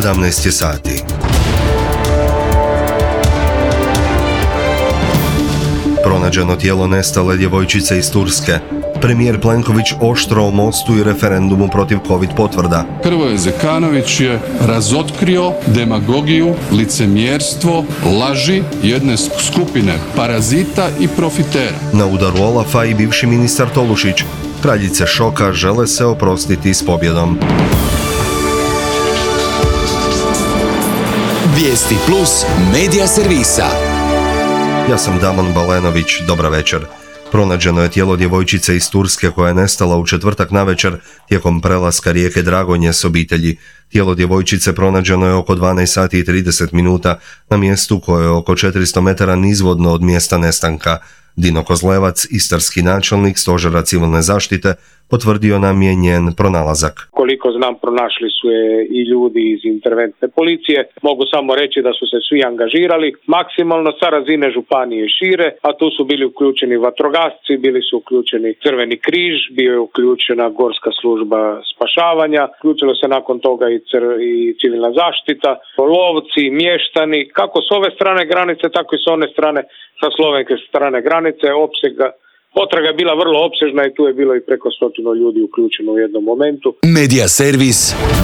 17 sati. Pronađeno tijelo nestale djevojčice iz Turske. Premijer Plenković oštro o mostu i referendumu protiv COVID potvrda. Hrvoje Zekanović je razotkrio demagogiju, licemjerstvo, laži jedne skupine parazita i profitera. Na udaru Olafa i bivši ministar Tolušić. Kraljice šoka žele se oprostiti s pobjedom. Vijesti plus medija servisa. Ja sam Damon Balenović, dobra večer. Pronađeno je tijelo djevojčice iz Turske koja je nestala u četvrtak navečer tijekom prelaska rijeke Dragonje s obitelji. Tijelo djevojčice pronađeno je oko 12 sati i 30 minuta na mjestu koje je oko 400 metara nizvodno od mjesta nestanka. Dino Kozlevac, istarski načelnik Stožera civilne zaštite, potvrdio nam je njen pronalazak. Koliko znam, pronašli su je i ljudi iz interventne policije. Mogu samo reći da su se svi angažirali maksimalno sa razine županije i šire, a tu su bili uključeni vatrogasci, bili su uključeni Crveni križ, bio je uključena Gorska služba spašavanja, uključilo se nakon toga i civilna zaštita, lovci, mještani, kako s ove strane granice, tako i s one strane, sa slovenske strane granice. Potraga je bila vrlo opsežna i tu je bilo i preko 100 ljudi uključeno u jednom momentu. Medija servis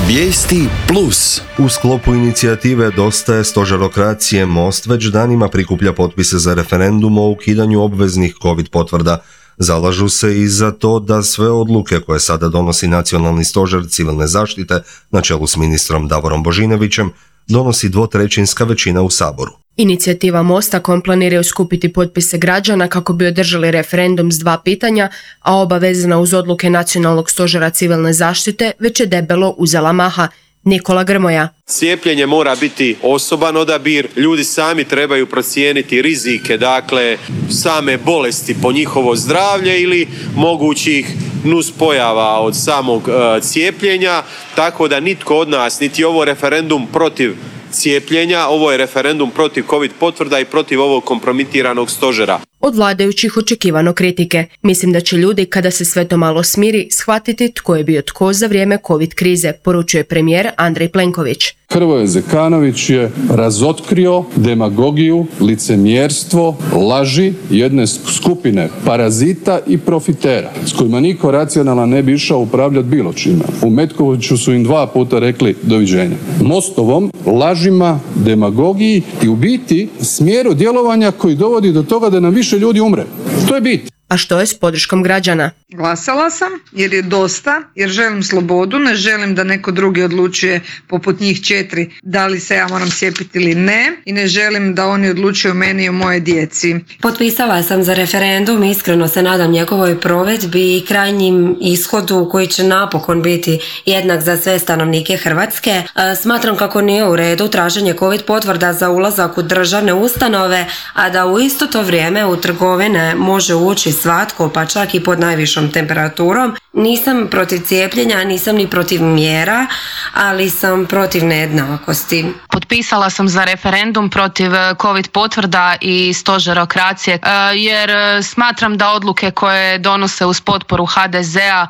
Vijesti plus. U sklopu inicijative Dosta je stožerokracije Most već danima prikuplja potpise za referendum o ukidanju obveznih COVID potvrda. Zalažu se i za to da sve odluke koje sada donosi Nacionalni stožer civilne zaštite na čelu s ministrom Davorom Božinovićem donosi 2/3 većina u Saboru. Inicijativa Mosta planiraju skupiti potpise građana kako bi održali referendum s 2 pitanja, a oba vezana uz odluke Nacionalnog stožera civilne zaštite već je debelo uzela maha. Nikola Grmoja. Cijepljenje mora biti osoban odabir, ljudi sami trebaju procijeniti rizike, dakle same bolesti po njihovo zdravlje ili mogućih nuspojava od samog cijepljenja, tako da nitko od nas, niti ovo referendum protiv cijepljenja, ovo je referendum protiv COVID potvrda i protiv ovog kompromitiranog stožera. Od vladajućih očekivano kritike. Mislim da će ljudi, kada se sve to malo smiri, shvatiti tko je bio tko za vrijeme COVID krize, poručuje premijer Andrej Plenković. Hrvoje Zekanović je razotkrio demagogiju, licemjerstvo, laži jedne skupine parazita i profitera s kojima niko racionalan ne bi išao upravljati bilo čime. U Metkoviću su im 2 puta rekli doviđenja. Mostovom, lažima, demagogiji i u biti smjeru djelovanja koji dovodi do toga da nam više ljudi umre. To je bit. A što je s podrškom građana? Glasala sam jer je dosta, jer želim slobodu, ne želim da neko drugi odlučuje poput njih 4 da li se ja moram cijepiti ili ne i ne želim da oni odlučuju o meni i o moje djeci. Potpisala sam za referendum, iskreno se nadam njegovoj provedbi i krajnjim ishodu koji će napokon biti jednak za sve stanovnike Hrvatske. Smatram kako nije u redu traženje COVID potvrda za ulazak u državne ustanove, a da u isto to vrijeme u trgovine može ući svatko, pa čak i pod najvišom temperaturom. Nisam protiv cijepljenja, nisam ni protiv mjera, ali sam protiv nejednakosti. Potpisala sam za referendum protiv COVID potvrda i stožerokracije, jer smatram da odluke koje donose uz potporu HDZ-a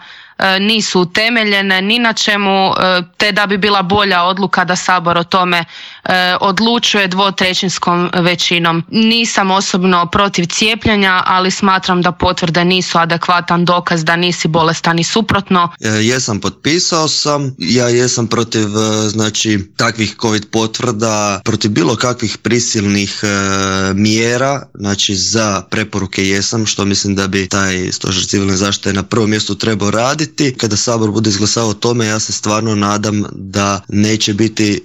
nisu utemeljene ni na čemu, te da bi bila bolja odluka da Sabor o tome odlučuje 2/3 većinom. Nisam osobno protiv cijepljenja, ali smatram da potvrde nisu adekvatan dokaz da nisi bolestan i suprotno. Jesam, potpisao sam. Ja jesam protiv takvih COVID potvrda, protiv bilo kakvih prisilnih mjera, za preporuke jesam, što mislim da bi taj stožer civilne zaštite na prvom mjestu trebao raditi. Kada Sabor bude izglasao o tome, ja se stvarno nadam da neće biti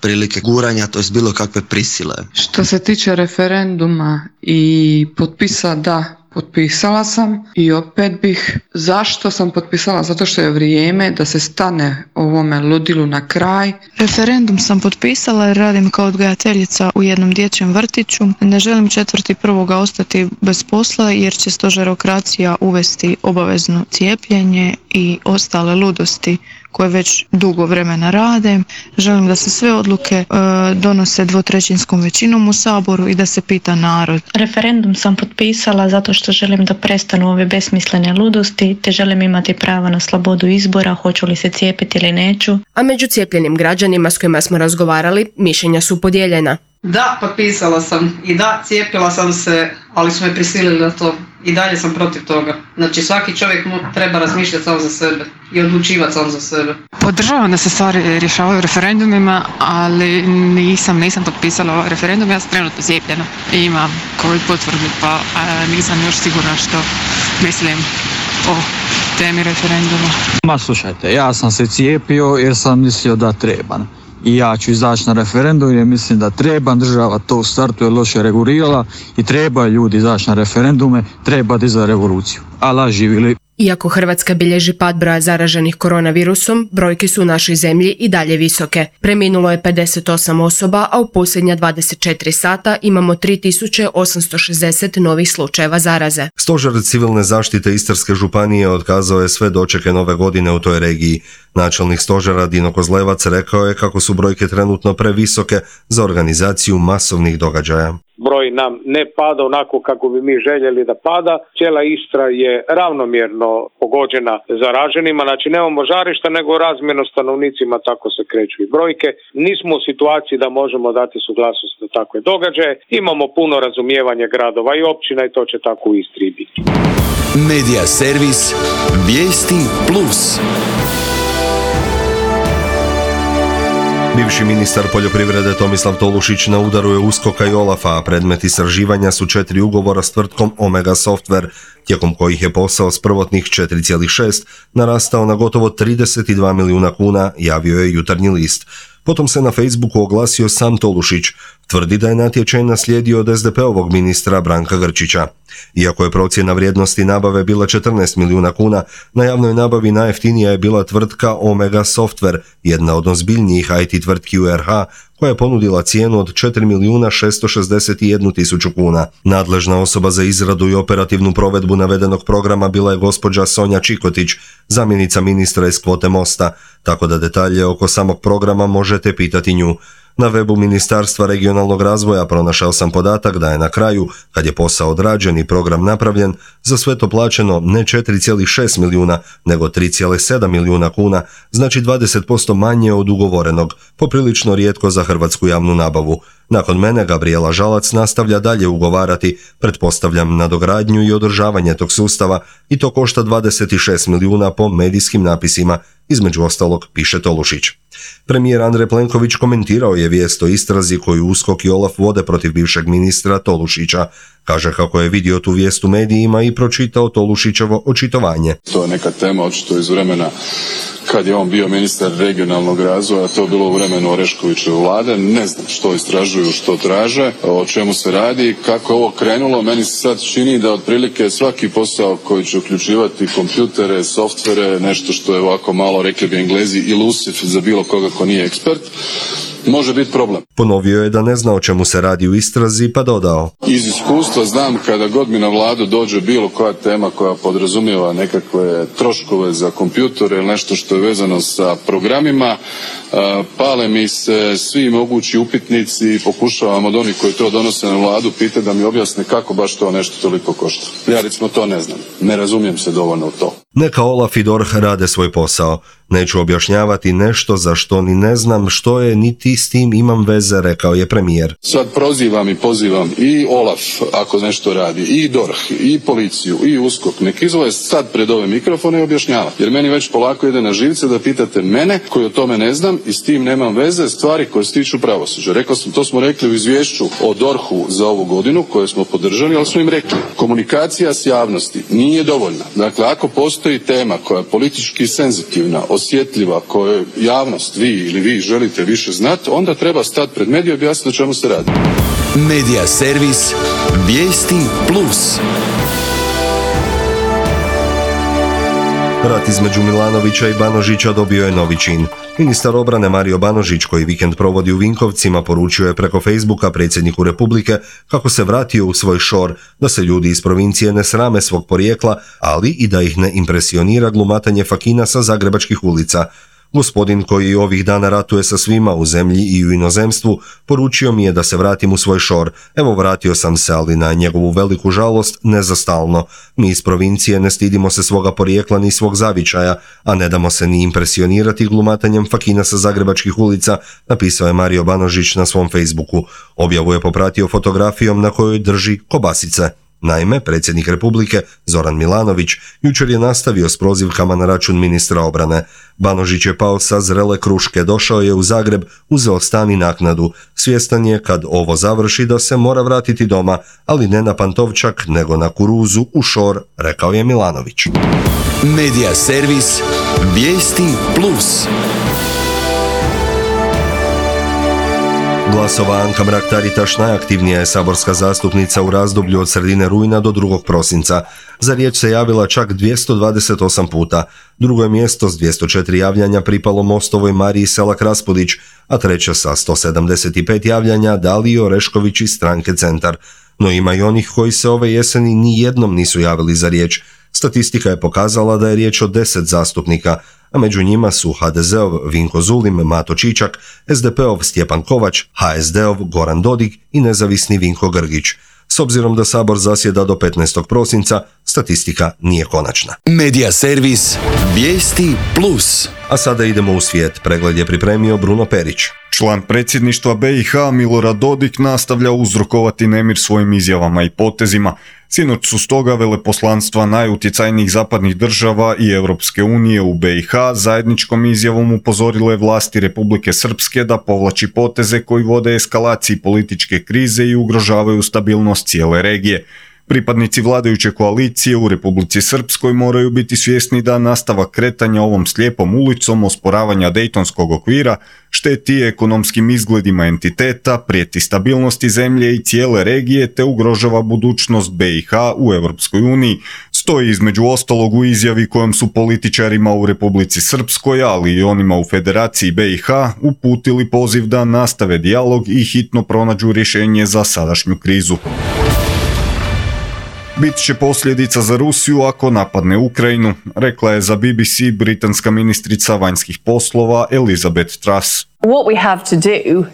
prilike guranja, to je bilo kakve prisile. Što se tiče referenduma i potpisa, da, potpisala sam i opet bih. Zašto sam potpisala? Zato što je vrijeme da se stane ovome ludilu na kraj. Referendum sam potpisala jer radim kao odgajateljica u jednom dječjem vrtiću. Ne želim 4.1. ostati bez posla jer će stožerokracija uvesti obavezno cijepljenje i ostale ludosti koje već dugo vremena rade. Želim da se sve odluke donose dvotrećinskom većinom u Saboru i da se pita narod. Referendum sam potpisala zato što želim da prestanu ove besmislene ludosti, te želim imati pravo na slobodu izbora, hoću li se cijepiti ili neću. A među cijepljenim građanima s kojima smo razgovarali, mišljenja su podijeljena. Da, potpisala sam i da, cijepila sam se, ali su me prisilili na to. I dalje sam protiv toga. Znači svaki čovjek treba razmišljati sam za sebe i odlučivati sam za sebe. Podržavam da se stvari rješavaju referendumima, ali nisam potpisala ovaj referendum, ja sam trenutno cijepljena i imam COVID potvrdu, pa nisam još sigurna što mislim o temi referenduma. Ma slušajte, ja sam se cijepio jer sam mislio da trebam. I ja ću izaći na referendum jer mislim da treba, država to u startu je loše regulirala i treba ljudi izaći na referendume, treba dizati revoluciju. Allah živjeli. Iako Hrvatska bilježi pad broja zaraženih koronavirusom, brojke su u našoj zemlji i dalje visoke. Preminulo je 58 osoba, a u posljednja 24 sata imamo 3860 novih slučajeva zaraze. Stožer civilne zaštite Istarske županije otkazao je sve dočeke nove godine u toj regiji. Načelnik stožera Dino Kozlevac rekao je kako su brojke trenutno previsoke za organizaciju masovnih događaja. Broj nam ne pada onako kako bi mi željeli da pada. Cijela Istra je ravnomjerno pogođena zaraženima, znači nemamo žarišta nego razmjerno stanovnicima tako se kreću i brojke. Nismo u situaciji da možemo dati suglasnost na takve događaje. Imamo puno razumijevanja gradova i općina i to će tako u Istri biti. Medija servis Vijesti Plus. Bivši ministar poljoprivrede Tomislav Tolušić na udaru je USKOK-a i OLAF-a, a predmet istraživanja su 4 ugovora s tvrtkom Omega Software, tijekom kojih je posao s prvotnih 4,6 narastao na gotovo 32 milijuna kuna, javio je Jutarnji list. Potom se na Facebooku oglasio sam Tolušić, tvrdi da je natječaj naslijedio od SDP-ovog ministra Branka Grčića. Iako je procjena vrijednosti nabave bila 14 milijuna kuna, na javnoj nabavi najjeftinija je bila tvrtka Omega Software, jedna od ozbiljnijih IT tvrtki u RH, koja je ponudila cijenu od 4.661.000 kuna. Nadležna osoba za izradu i operativnu provedbu navedenog programa bila je gospođa Sonja Čikotić, zamjenica ministra iz kvote Mosta, tako da detalje oko samog programa možete pitati nju. Na webu Ministarstva regionalnog razvoja pronašao sam podatak da je na kraju, kad je posao odrađen i program napravljen, za sve to plaćeno ne 4,6 milijuna, nego 3,7 milijuna kuna, znači 20% manje od ugovorenog, poprilično rijetko za hrvatsku javnu nabavu. Nakon mene Gabriela Žalac nastavlja dalje ugovarati, pretpostavljam nadogradnju i održavanje tog sustava i to košta 26 milijuna po medijskim napisima, između ostalog piše Tolušić. Premijer Andrej Plenković komentirao je vijest o istrazi koju USKOK i OLAF vode protiv bivšeg ministra Tolušića. Kaže kako je vidio tu vijest u medijima i pročitao Tolušićevo očitovanje. To je neka tema očito iz vremena kad je on bio ministar regionalnog razvoja, to je bilo u vremenu Oreškovićeve vlade. Ne znam što istražuju, što traže, o čemu se radi, kako je ovo krenulo. Meni se sad čini da otprilike svaki posao koji će uključivati kompjutere, softvere, nešto što je ovako malo, rekli bi Englezi, elusive za bilo koga ko nije ekspert, može biti problem. Ponovio je da ne zna o čemu se radi u istrazi, pa dodao. Iz iskustva znam kada god mi na vladu dođe bilo koja tema koja podrazumijeva nekakve troškove za kompjutere ili nešto što je vezano sa programima, pale mi se svi mogući upitnici i pokušavam od onih koji to donose na vladu pitati da mi objasne kako baš to nešto toliko košta. Ja recimo to ne znam, ne razumijem se dovoljno u to. Neka Olaf i DORH rade svoj posao. Neću objašnjavati nešto za što ni ne znam što je, niti s tim imam veze, rekao je premijer. Sad prozivam i pozivam i Olaf ako nešto radi, i DORH, i policiju, i USKOK. Nek izvoje sad pred ove mikrofone i objašnjava. Jer meni već polako ide na živce da pitate mene koji o tome ne znam i s tim nemam veze, stvari koje se tiču pravosuđa. Rekao sam, to smo rekli u izvješću o DORH-u za ovu godinu koje smo podržali, ali smo im rekli komunikacija s javnosti nije dovoljna. Dakle, ako postoji tema koja je politički senzitivna, osjetljiva, koju javnost, vi ili vi želite više znati, onda treba stati pred medije i objasniti o čemu se radi. Medija servis Vijesti Plus. Rat između Milanovića i Banožića dobio je novi čin. Ministar obrane Mario Banožić, koji vikend provodi u Vinkovcima, poručio je preko Facebooka predsjedniku Republike kako se vratio u svoj šor, da se ljudi iz provincije ne srame svog porijekla, ali i da ih ne impresionira glumatanje fakina sa zagrebačkih ulica. Gospodin koji ovih dana ratuje sa svima u zemlji i u inozemstvu, poručio mi je da se vratim u svoj šor. Evo, vratio sam se, ali na njegovu veliku žalost ne za stalno. Mi iz provincije ne stidimo se svoga porijekla ni svog zavičaja, a ne damo se ni impresionirati glumatanjem fakina sa zagrebačkih ulica, napisao je Mario Banožić na svom Facebooku. Objavu je popratio fotografijom na kojoj drži kobasice. Naime, predsjednik Republike Zoran Milanović jučer je nastavio s prozivkama na račun ministra obrane. Banožić je pao sa zrele kruške, došao je u Zagreb, uzeo stan i naknadu. Svjestan je kad ovo završi da se mora vratiti doma, ali ne na Pantovčak, nego na kuruzu u šor, rekao je Milanović. Medija servis Vijesti Plus. Glasova Anka Mrak-Taritaš najaktivnija je saborska zastupnica u razdoblju od sredine rujna do 2. prosinca. Za riječ se javila čak 228 puta. Drugo je mjesto s 204 javljanja pripalo Mostovoj Mariji Selak-Raspudić, a treće sa 175 javljanja Daliji Orešković iz stranke Centar. No ima i onih koji se ove jeseni ni jednom nisu javili za riječ. Statistika je pokazala da je riječ o 10 zastupnika, a među njima su HDZ-ov Vinko Zulim, Mato Čičak, SDP-ov Stjepan Kovač, HSD-ov Goran Dodig i nezavisni Vinko Grgić. S obzirom da Sabor zasjeda do 15. prosinca, statistika nije konačna. Medija servis Vijesti Plus. A sada idemo u svijet. Pregled je pripremio Bruno Perić. Član predsjedništva BiH Milorad Dodik nastavlja uzrokovati nemir svojim izjavama i potezima. Sinoć su stoga veleposlanstva najutjecajnijih zapadnih država i Europske unije u BiH zajedničkom izjavom upozorile vlasti Republike Srpske da povlači poteze koji vode eskalaciji političke krize i ugrožavaju stabilnost cijele regije. Pripadnici vladajuće koalicije u Republici Srpskoj moraju biti svjesni da nastavak kretanja ovom slijepom ulicom osporavanja Dejtonskog okvira šteti ekonomskim izgledima entiteta, prijeti stabilnosti zemlje i cijele regije te ugrožava budućnost BiH u Europskoj uniji. Stoji između ostalog u izjavi kojom su političarima u Republici Srpskoj, ali i onima u Federaciji BiH uputili poziv da nastave dijalog i hitno pronađu rješenje za sadašnju krizu. Bit će posljedica za Rusiju ako napadne Ukrajinu, rekla je za BBC britanska ministrica vanjskih poslova Elizabeth Truss. What we have to do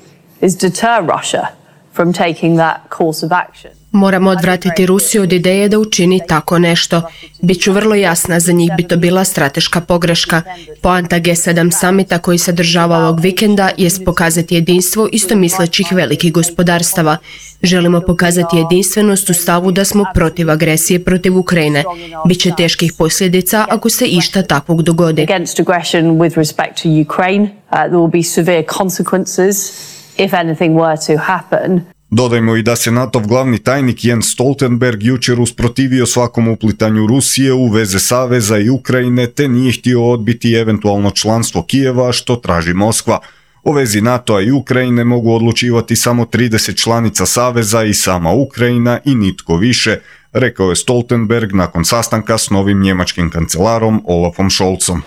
is deter Russia from taking that course of action. Moramo odvratiti Rusiju od ideje da učini tako nešto. Biću vrlo jasna, za njih bi to bila strateška pogreška. Poanta G7 samita koji se održava ovog vikenda jest pokazati jedinstvo istomislećih velikih gospodarstava. Želimo pokazati jedinstvenost u stavu da smo protiv agresije protiv Ukrajine. Biće teških posljedica ako se išta takvog dogodi. Against aggression with respect to Ukraine, there will be severe consequences if anything were to happen. Dodajmo i da se NATO glavni tajnik Jens Stoltenberg jučer usprotivio svakom uplitanju Rusije u veze Saveza i Ukrajine te nije htio odbiti eventualno članstvo Kijeva što traži Moskva. O vezi NATO-a i Ukrajine mogu odlučivati samo 30 članica Saveza i sama Ukrajina i nitko više, rekao je Stoltenberg nakon sastanka s novim njemačkim kancelarom Olafom Scholzom.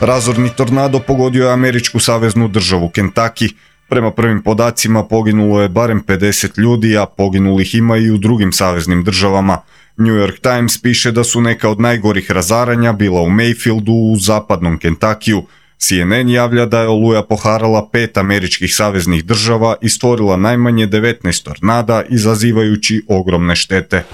Razorni tornado pogodio je američku saveznu državu Kentucky. Prema prvim podacima poginulo je barem 50 ljudi, a poginulih ima i u drugim saveznim državama. New York Times piše da su neka od najgorih razaranja bila u Mayfieldu u zapadnom Kentuckyu. CNN javlja da je oluja poharala 5 američkih saveznih država i stvorila najmanje 19 tornada, izazivajući ogromne štete.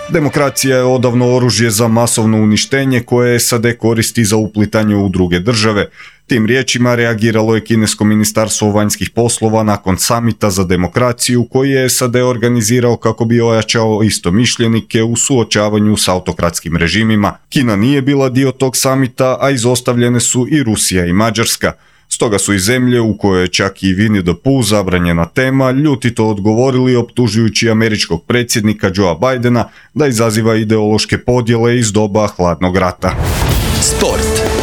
Demokracija je odavno oružje za masovno uništenje koje SAD koristi za uplitanje u druge države. Tim riječima reagiralo je kinesko ministarstvo vanjskih poslova nakon samita za demokraciju koji je SAD organizirao kako bi ojačao istomišljenike u suočavanju s autokratskim režimima. Kina nije bila dio tog samita, a izostavljene su i Rusija i Mađarska. Stoga su i zemlje u kojoj je čak i Winnie the Pooh zabranjena tema ljutito odgovorili optužujući američkog predsjednika Joea Bidena da izaziva ideološke podjele iz doba hladnog rata. Sport.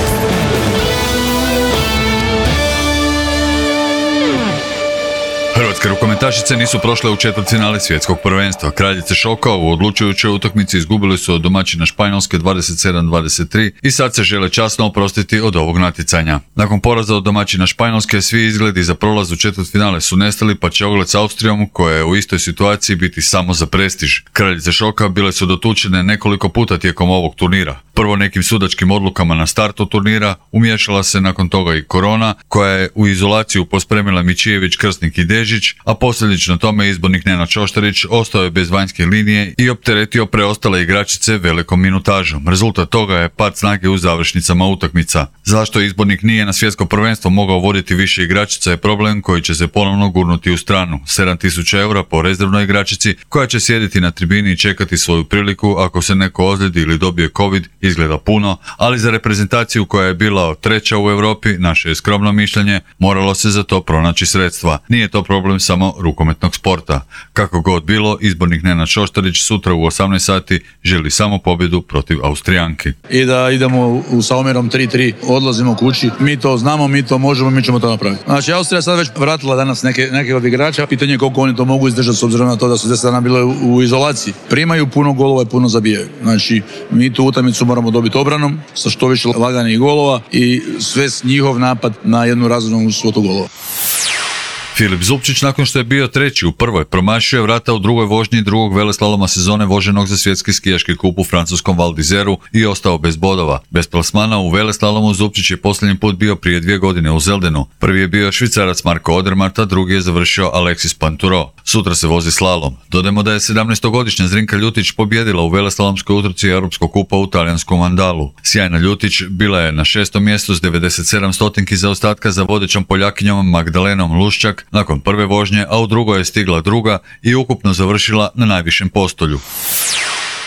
Hrvatske rukometašice nisu prošle u četvrtfinale svjetskog prvenstva. Kraljice šoka u odlučujućoj utakmici izgubili su od domaćina Španjolske 27-23 i sad se žele časno oprostiti od ovog natjecanja. Nakon poraza od domaćina Španjolske svi izgledi za prolaz u četvrtfinale su nestali, pa će ogled s Austrijom, koja je u istoj situaciji, biti samo za prestiž. Kraljice šoka bile su dotučene nekoliko puta tijekom ovog turnira. Prvo nekim sudačkim odlukama na startu turnira umiješala se nakon toga i korona, koja je u izolaciju pospremila Mičijević, Krsnik i Dežić, a posljedično tome izbornik Nenad Šoštarić ostao je bez vanjske linije i opteretio preostale igračice velikom minutažom. Rezultat toga je pad snage u završnicama utakmica. Zašto izbornik nije na svjetsko prvenstvo mogao voditi više igračica je problem koji će se ponovno gurnuti u stranu. 7.000 eura po rezervnoj igračici koja će sjediti na tribini i čekati svoju priliku ako se neko ozljedi ili dobije covid izgleda puno, ali za reprezentaciju koja je bila treća u Europi, naše je skromno mišljenje, moralo se za to pronaći sredstva. Nije to problem samo rukometnog sporta. Kako god bilo, izbornik Nenad Šoštarić sutra u 18 sati želi samo pobjedu protiv Austrijanki. I da idemo sa omjerom 3-3, odlazimo kući, mi to znamo, mi to možemo, mi ćemo to napraviti. Znači, Austrija sad već vratila danas neke od igrača, pitanje je koliko oni to mogu izdržati s obzirom na to da su 10 dana bile u izolaciji. Primaju puno golova i puno zabijaju. Znači, mi tu utakmicu moramo dobiti obranom sa što više laganih golova i sve njihov napad na jednu razumnu svotu golova. Filip Zupčić, nakon što je bio treći u prvoj, promašio je vrata u drugoj vožnji drugog veleslaloma sezone voženog za svjetski skijaški kup u francuskom Val d'Izeru i ostao bez bodova. Bez plasmana u veleslalomu Zupčić je posljednji put bio prije 2 godine u Zeldenu. Prvi je bio Švicarac Marko Odermatt, a drugi je završio Alexis Pinturo. Sutra se vozi slalom. Dodajmo da je 17-godišnja Zrinka Ljutić pobjedila u veleslalomskoj utrci Europskog kupa u talijanskom Vandalu. Sjajna Ljutić bila je na 6. mjestu s 97 stotinki zaostatka za vodećom Poljakinjom Magdalenom Luščak nakon prve vožnje, a u drugoj je stigla druga i ukupno završila na najvišem postolju.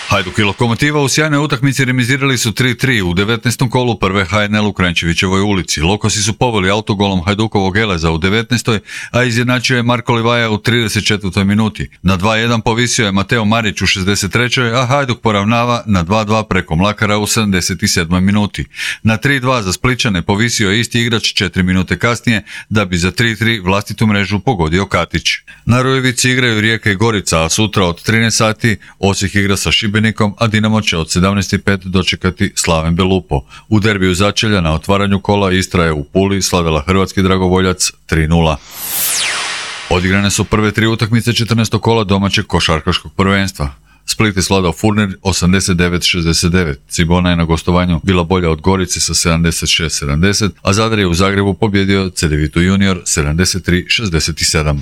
Hajduk i Lokomotiva u sjajnoj utakmici remizirali su 3-3 u 19. kolu prve HNL u Kranjčevićevoj ulici. Lokosi su poveli autogolom Hajdukovog Eleza u 19. a izjednačio je Marko Livaja u 34. minuti. Na 2-1 povisio je Mateo Marić u 63. a Hajduk poravnava na 2-2 preko Mlakara u 77. minuti. Na 3-2 za Splićane povisio je isti igrač 4 minute kasnije, da bi za 3-3 vlastitu mrežu pogodio Katić. Na Rujevici igraju Rijeka i Gorica, a sutra od 13 sati Osijek igra sa Šibenikom, a Dinamo će od 17.05 dočekati Slaven Belupo. U derbiju začelja na otvaranju kola Istra je u Puli slavila hrvatski dragovoljac 3-0. Odigrane su prve 3 utakmice 14. kola domaćeg košarkaškog prvenstva. Split je svladao Furnir 89-69, Cibona je na gostovanju bila bolja od Gorice sa 76-70, a Zadar je u Zagrebu pobjedio Cedevita Junior 73-67.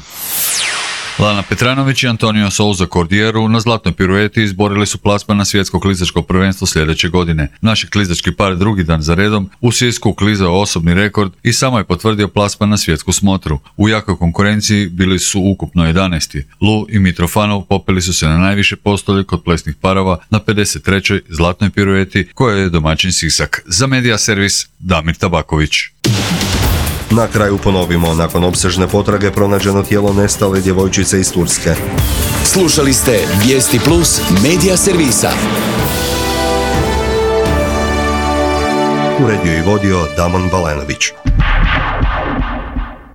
Lana Petranović i Antonio Souza Cordieru na zlatnoj pirueti izborili su plasman na svjetsko klizačko prvenstvo sljedeće godine. Naš klizački par drugi dan za redom u Sisku klizao osobni rekord i samo je potvrdio plasman na svjetsku smotru. U jakoj konkurenciji bili su ukupno 11. Lu i Mitrofanov popeli su se na najviše postolje kod plesnih parova na 53. zlatnoj pirueti koja je domaćin Sisak. Za Medija servis Damir Tabaković. Na kraju ponovimo, nakon opsežne potrage pronađeno tijelo nestale djevojčice iz Turske. Slušali ste Vijesti Plus Medija servisa. Uredio i vodio Damon Balenović.